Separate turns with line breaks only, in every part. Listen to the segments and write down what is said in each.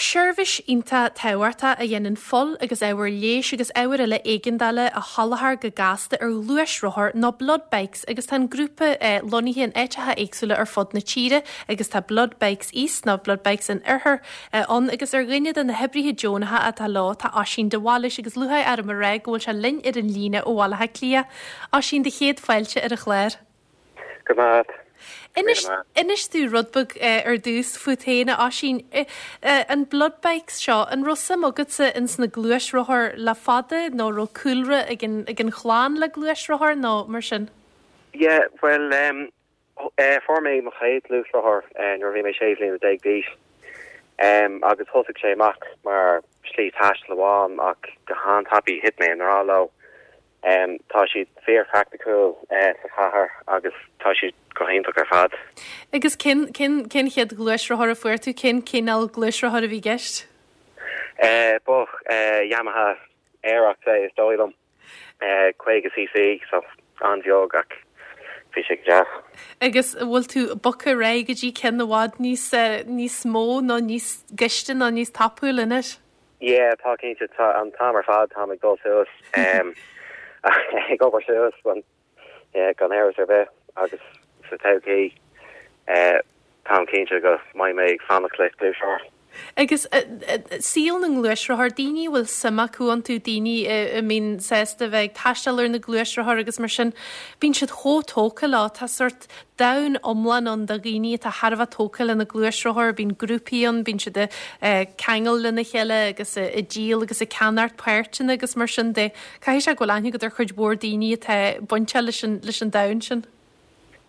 Seirbhís iontach tábhachtach a dhéanann fuil agus ábhair leighis agus ábhair eile éigeandála a sholáthar go gasta ar ghluaisrothair nó Blood Bikes agus tá an grúpa lonnaithe in áiteacha éagsúla ar fud na tíre agus tá Blood Bikes East nó Blood Bikes an Oirthir ann agus ar dhuine de na hoibrithe deonacha atá leo tá Oisín de Bhailís agus lúcháir orm a rá go bhfuil sé linn ar an líne ó Bhaile Átha Cliath. Oisín, do chéad fáilte ar an chlár.
Go raibh maith.
Inis, inis domh rud beag ar dtús fút féin, a Oisín. An Blood Bikes seo, an raibh suim agatsa ins na gluaisrothair le fada nó raibh cúlra ag an, ag an chlann le gluaisrothair nó mar sin?
Yeah, bhuel, fuair mé mo chéad ghluaisrothar nuair a bhí mé 16 bhliana d'aois agus thosaigh sé amach mar shlí taistil amháin ach go han-tapaidh thit mé i ngrá leo. Tá siad fíor-phraiticiúil sa chathair agus tá siad go hiontach ar fad.
Agus cén, cén, cén chéad ghluaisrothar a fuair tú? Cén cineál gluaisrothair a bhí i gceist?
Ba Yamaha Aerox é is dóigh liom. 50cc, so an-bheag ach bhí sé go deas.
Agus an bhfuil tú bogtha ar aghaidh go dtí ceann i bhfad níos, níos mó nó níos gaiste nó níos tapúla anois?
Yeah, tá cinnte, tá an t-am ar fad, táim ag dul suas, ag obair suas, yeah, gan amhras ar bith agus sa todhchaí táim cinnte go mbeidh mé ag fanacht le gluaisrothar.
Agus saol na ngluaisrothar, daoine a bhfuil suim acu iontu, daoine a mbíonn sásta a bheith ag taisteal ar na gluaisrothair agus mar sin, bíonn siad chomh tógtha leo. Tá sórt domhan iomlán ann de dhaoine atá thar a bheith tógtha le na gluaisrothair, bíonn grúpaí ann, bíonn siad ag ceangal lena chéile agus ag díol agus ag ceannacht páirteanna agus mar sin de. Caithfidh sé go bhfuil aithne agat ar chuid mhór daoine atá bainteach leis an, leis an domhan sin.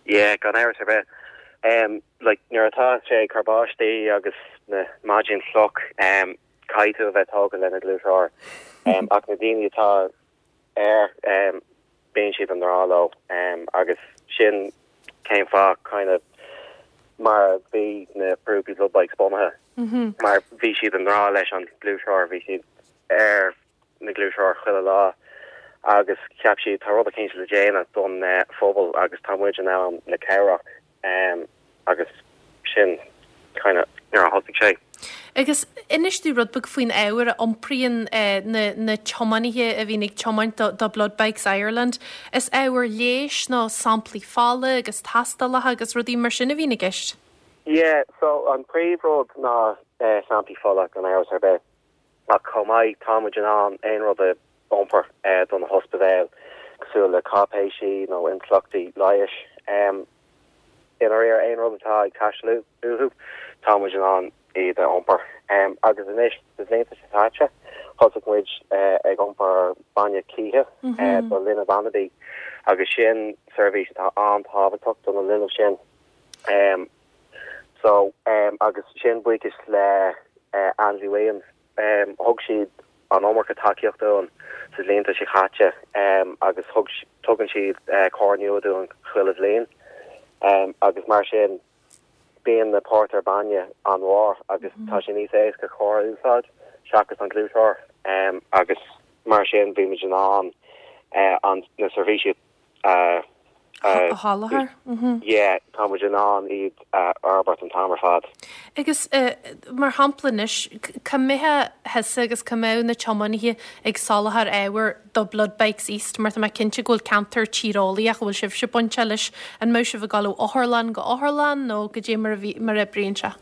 Yeah, gan amhras ar bith. Um, like, nuair atá sé ag cur báistí agus na maidin fliuch, um, caithfidh tú a bheith tógtha le na gluaisrothair. Um, ach na daoine atá air, um, bíonn siad i ngrá leo. Um, agus sin cén fáth kind of mar a bhí na grúpaí Blood Bikes bunaithe. Mm -hmm. Mar bhí siad i ngrá leis an gluaisrothar, bhí siad ar na gluaisrothair chuile lá agus cheap siad tá rud eicínt le déanamh don phobal agus tá muid in ann le cabhrach agus sin kind of nuair a thosaigh sé.
Agus inis domh rud beag faoin ábhar a iompraíonn na na tiománaithe a bhíonn ag tiomáint do do Blood Bikes Ireland. Is ábhar leighis nó samplaí fola agus tástálacha agus rudaí mar sin a bhíonn i gceist?
Yeah, so an príomh rud ná samplaí fola gan amhras ar bith. Ach chomh maith, tá muid in ann aon rud a iompar do na hospidéil, cosúil le cáipéisí nó intleachtaí leighis. I ndáiríre, aon rud atá ag teastáil uathu, tá muid in ann iad a iompar. Agus anois, sna blianta seo caite, thosaigh muid ag iompar bainne cíche do linbh anabaí, agus sin seirbhís atá an-tábhachtach do na linbh sin. So, agus sin buíochas le Andy Williams, thug siad an iomarca tacaíocht dúinn sa bhlianta seo caite agus thug, tugann siad carr nua dúinn chuile bhliain agus mar sin bíonn na pórtair bainne an-mhór agus tá sé níos éasca carr a úsáid seachas an gluaisrothar agus mar sin bímid in ann an, na seirbhísí
a sholáthar.
Yeah, tá muid in ann iad a fhorbairt an t-am ar fad.
Agus mar shampla anois, cá mbeifeá thusa agus cá mbeadh na tiománaithe ag soláthar ábhair do Blood Bikes East, mar tá mé cinnte go bhfuil ceantar tíreolaíoch a bhfuil sibhse bainteach leis, an mbeadh sibh ag dul ó otharlann go otharlann nó goidé mar a bhí, mar a oibríonn sé?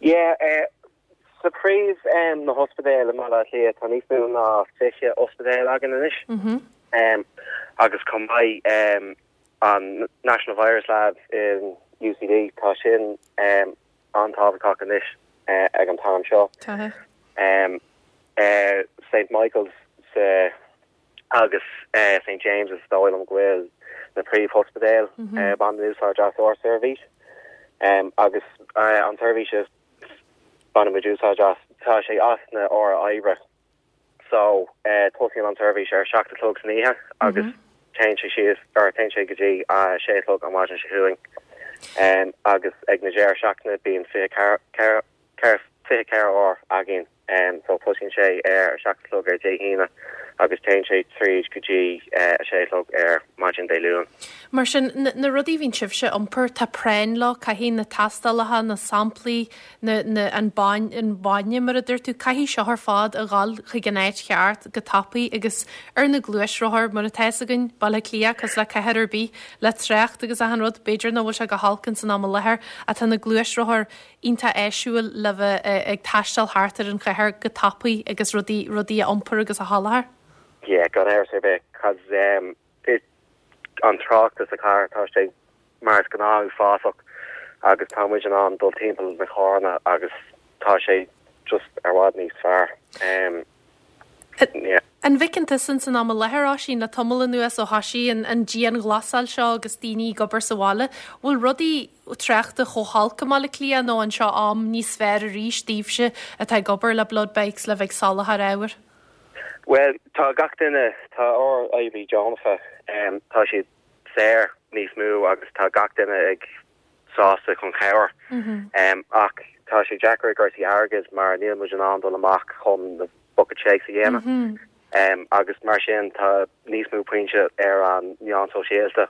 Yeah, Sa phríomh na hospidéil i mBaile Átha Cliath tá níos mó ná 20 ospidéal againn anois agus chomh maith an National Virus Lab in UCD tá sin an-tábhachtach anois ag an t-am seo. St Michael's sa agus St James is dóigh liom go bhfuil na príomhospidéil a bhaineann úsáid as ár seirbhís agus an tseirbhís is Bainimid úsáid as. Tá sé as na uair oibre so tosaíonn an tseirbhís ar 7 a chlog san oíche agus téann sé síos, or téann sé go dtí 6 a chlog an mhaidin seo chugainn. Agus ag na deireadh seachtaine bíonn 24, 24 uair againn so tosaíonn sé ar 7 a chlog ar Dé hAoine agus téann sé tríd go dtí 6 a chlog ar maidin Dé Luain.
Mar sin, na rudaí a bhíonn sibhse a iompar, tá práinn leo, caithfidh na tástálacha, na samplaí, na, na, an bain, an bainne mar a dúirt tú, caithfidh seo ar fad a dhul chuig an áit cheart go tapaidh agus ar na gluaisrothair, mar atá fhios againn, Baile Átha Cliath, cosúil le cathair ar bith, le trácht agus achan rud, b'fhéidir nach bhfuil sé go holc ins an am i láthair ach tá na gluaisrothair iontach áisiúil le bheith ag taisteal thart ar an chathair go tapaidh agus rudaí, rudaí a iompar agus a sholáthar.
Yeah, gan amhras ar bith, cos an trácht sa chathair, tá sé mar is gnáth uafásach agus tá muid in ann dul timpeall na carranna agus tá sé just ar bhfad níos fearr.
Yeah. An bhfeiceann tusa ins an am i láthair, Oisín, le tamall anuas ó thoisigh an an dianghlasáil seo agus daoine ag obair sa bhaile, bhfuil rudaí tráchta chomh holc i mBaile Átha Cliath nó an seo am níos fearr arís daoibhse atá ag obair le Blood Bikes le bheith ag soláthar ábhair?
Bhuel, tá gach duine, tá ár oibrithe deonacha, tá siad saor níos mó agus tá gach duine ag sásta chun cabhair. Ach tá sé deacair i gcúrsaí airgid mar níl muid in ann dul amach chun na bucket shakes a dhéanamh. Agus mar sin tá níos mó pointe ar an meán sóisialta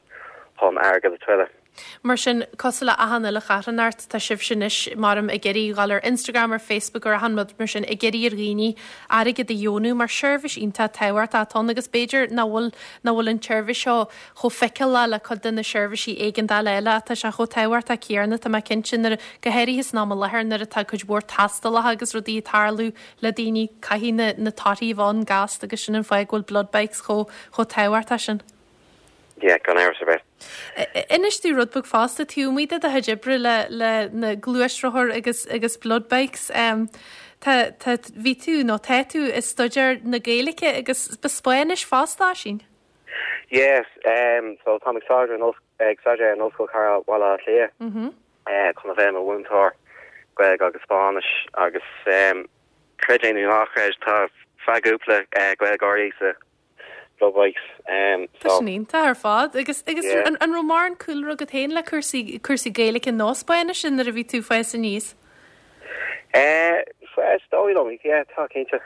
chun airgead a thuilleadh.
Mar sin, cosúil le achan uile charthanacht, tá sibhse anois, maram, ag iarraidh dhul ar Instagram, ar Facebook, ar achan rud mar sin, ag iarraidh ar dhaoine airgead a dheonú mar seirbhís iontach tábhachtach atá ann agus b'fhéidir nach bhfuil, nach bhfuil an tseirbhís seo chomh feiceálach le cuid de na seirbhísí éigeandála eile ach tá sé chomh tábhachtach céanna, tá mé cinnte, nuair, go háirithe san am i láthair nuair atá cuid mhór tástálacha agus rudaí ag tarlú le daoine, caithfidh na, na torthaí a bheith ann gasta agus sin an fáth go bhfuil Blood Bikes chomh, chomh tábhachtach sin.
Yeah, gan amhras ar bith.
Inis domh rud beag fosta, taobh amuigh de do chuid oibre le, le na gluaisrothair agus, agus Blood Bikes, um, tá, tá, bhí tú nó tá tú ag staidéar na Gaeilge agus Spáinnis fosta, Oisín?
Yes, um, so táim ag staidéar in, ag staidéar in Ollscoil Chathair Bhaile Átha Cliath mm -hmm. uh, chun a bheith i mo mhúinteoir Gaeilge agus Spáinnis agus um, creid é nó ná creid tá feadh cúpla uh, Gaeilgeoirí sa Blood Bikes. Um,
Tá sin iontach ar fad. Agus, agus yeah. an, an raibh mórán cúlra agat féin le cúrsaí, cúrsaí Gaeilge nó Spáinnise nuair a bhí tú ag fás aníos?
Eh, is dóigh liom, yeah, tá cinnte.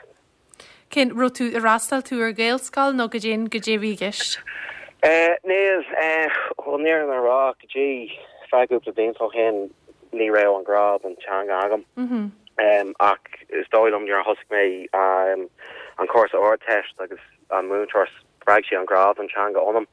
Cén, raibh tú, ar fhreastail tú ar Ghaelscoil nó goidé, goidé a bhí i gceist?
Eh, níl, eh, chun an fhírinne a rá, go dtí feadh cúpla blianta ó shin ní raibh an grá don teanga agam. Mm -hmm. Um, ach is dóigh liom nuair a thosaigh mé um, an cúrsa Ardteist agus an múinteoir spreag sí an grá don teanga ionam.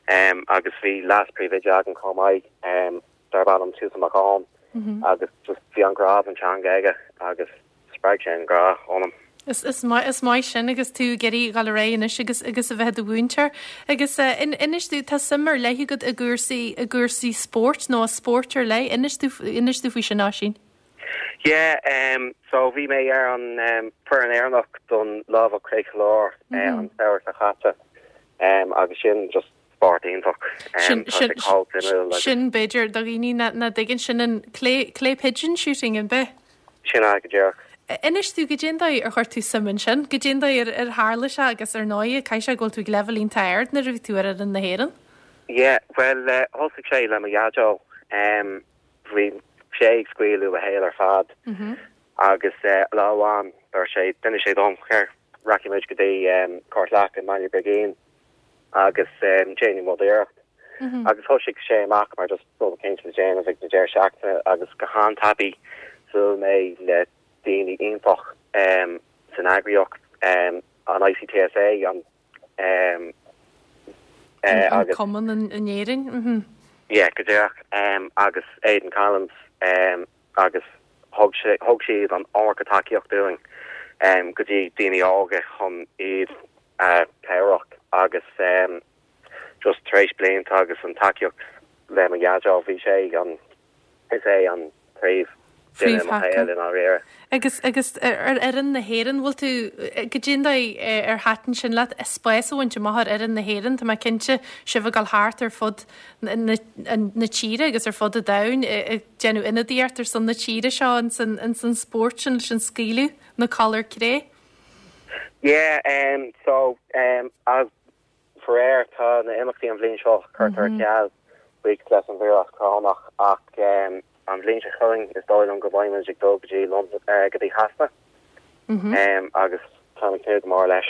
Um, agus bhí leas-phríomhoide agam chomh maith um, darb ainm Toose Mac Eoin mm -hmm. agus just bhí an grá don teanga aige agus spreag sé an grá ionam.
Is, is, maith, is maith sin agus tú ag iarraidh dul ar aghaidh anois agus, agus a bheith i do mhúinteoir. Agus uh, in, inis domh, tá suim ar leith agat i gcúrsaí, i gcúrsaí spóirt nó i spórt ar leith. Inis domh, inis domh faoi sin, Oisín.
Yeah, um, so bhí mé ar an um, foireann Éireannach don lámhach Cré Chonlóir mm -hmm. uh, an samhradh seo caite um, agus sin just spórt iontach.
Sin, sin, sin b'fhéidir do dhaoine nach dtuigeann sin an clay, clay pigeon shooting an b'ea?
Sin é go díreach.
Inis domh goidé an dóigh ar chuir tú suim ansin, goidé an dóigh ar, ar tharla sé agus ar ndóigh caithfidh sé go bhfuil tú ag leibhéal iontach ard nuair a bhí tú ar fhoireann na hÉireann.
Yeah, bhuel, thosaigh sé le mo dhaideo. Um, bhí sé ag scaoileadh a shaol ar fad agus lá amháin dúirt sé, d'inis sé dom, here, rachaidh muid go dtí Cúirt Leac i mBaile Brigín agus déanfaidh muid iarracht. Agus thosaigh sé amach mar just rud eicínt le déanamh ag na deireadh seachtaine agus go han-tapaidh bhuail mé le daoine iontach san eagraíocht, an ICTSA, an
An agus cumann in Éirinn.
Yeah, go díreach. Agus Aidan Collins agus thug sé, thug siad an iomarca tacaíocht dúinn go dtí daoine óga chun iad a chabhrach agus just tar éis blianta agus an tacaíocht le mo dhaideo bhí sé an Is é an príomh duine i mo shaol i
ndáiríre. Agus, agus ar fhoireann na hÉireann, bhfuil tú, goidé an dóigh ar thaitin sin leat, spás a bhaint amach ar fhoireann na hÉireann, tá mé cinnte, sibh ag dul thart ar fud na, na tíre agus ar fud an domhain ag déanamh ionadaíocht ar son na tíre seo ins an, ins an spórt sin leis an scaoileadh na collar cré?
Yeah, um, so, um, as Faraor, tá na imeachtaí an bhliain seo curtha ar ceal, buíochas leis an víreas corónach, ach an bhliain seo chugainn is dóigh liom go mbeidh muid ag dul go dtí go dtí Shasana agus táim ag tnúth go mór leis.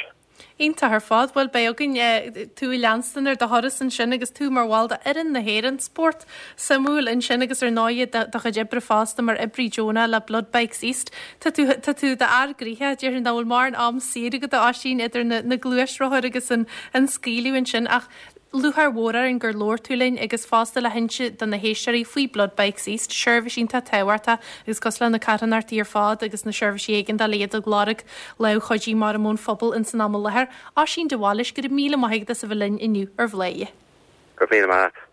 Iontach ar fad. Bhuel, beidh againn tú a leanstan ar do thuras ansin agus tú mar bhall de fhoireann na hÉireann. Spórt suimiúil ansin agus ar ndóighe do chuid oibre fosta mar oibrí deonach le Blood Bikes East. Tá tú, tá tú i d'fhear gnoitheach, déarfainn nach bhfuil mórán am saor agat a Oisín idir na, na gluaisrothair agus an, an scaoileadh ansin ach Lúcháir mhór orainn gur labhair tú linn agus fosta le hinse do na héisteoirí faoi Blood Bikes East, seirbhís iontach tábhachtach agus cosúil le na carthanachtaí ar fad agus na seirbhísí éigeandála iad ag lorg lámh chuidithe mar ón phobal ins an am i láthair. Oisín de Bhailís, go raibh míle maith agat as a bheith linn inniu ar Bhladhaire.
Go raibh míle maith agat.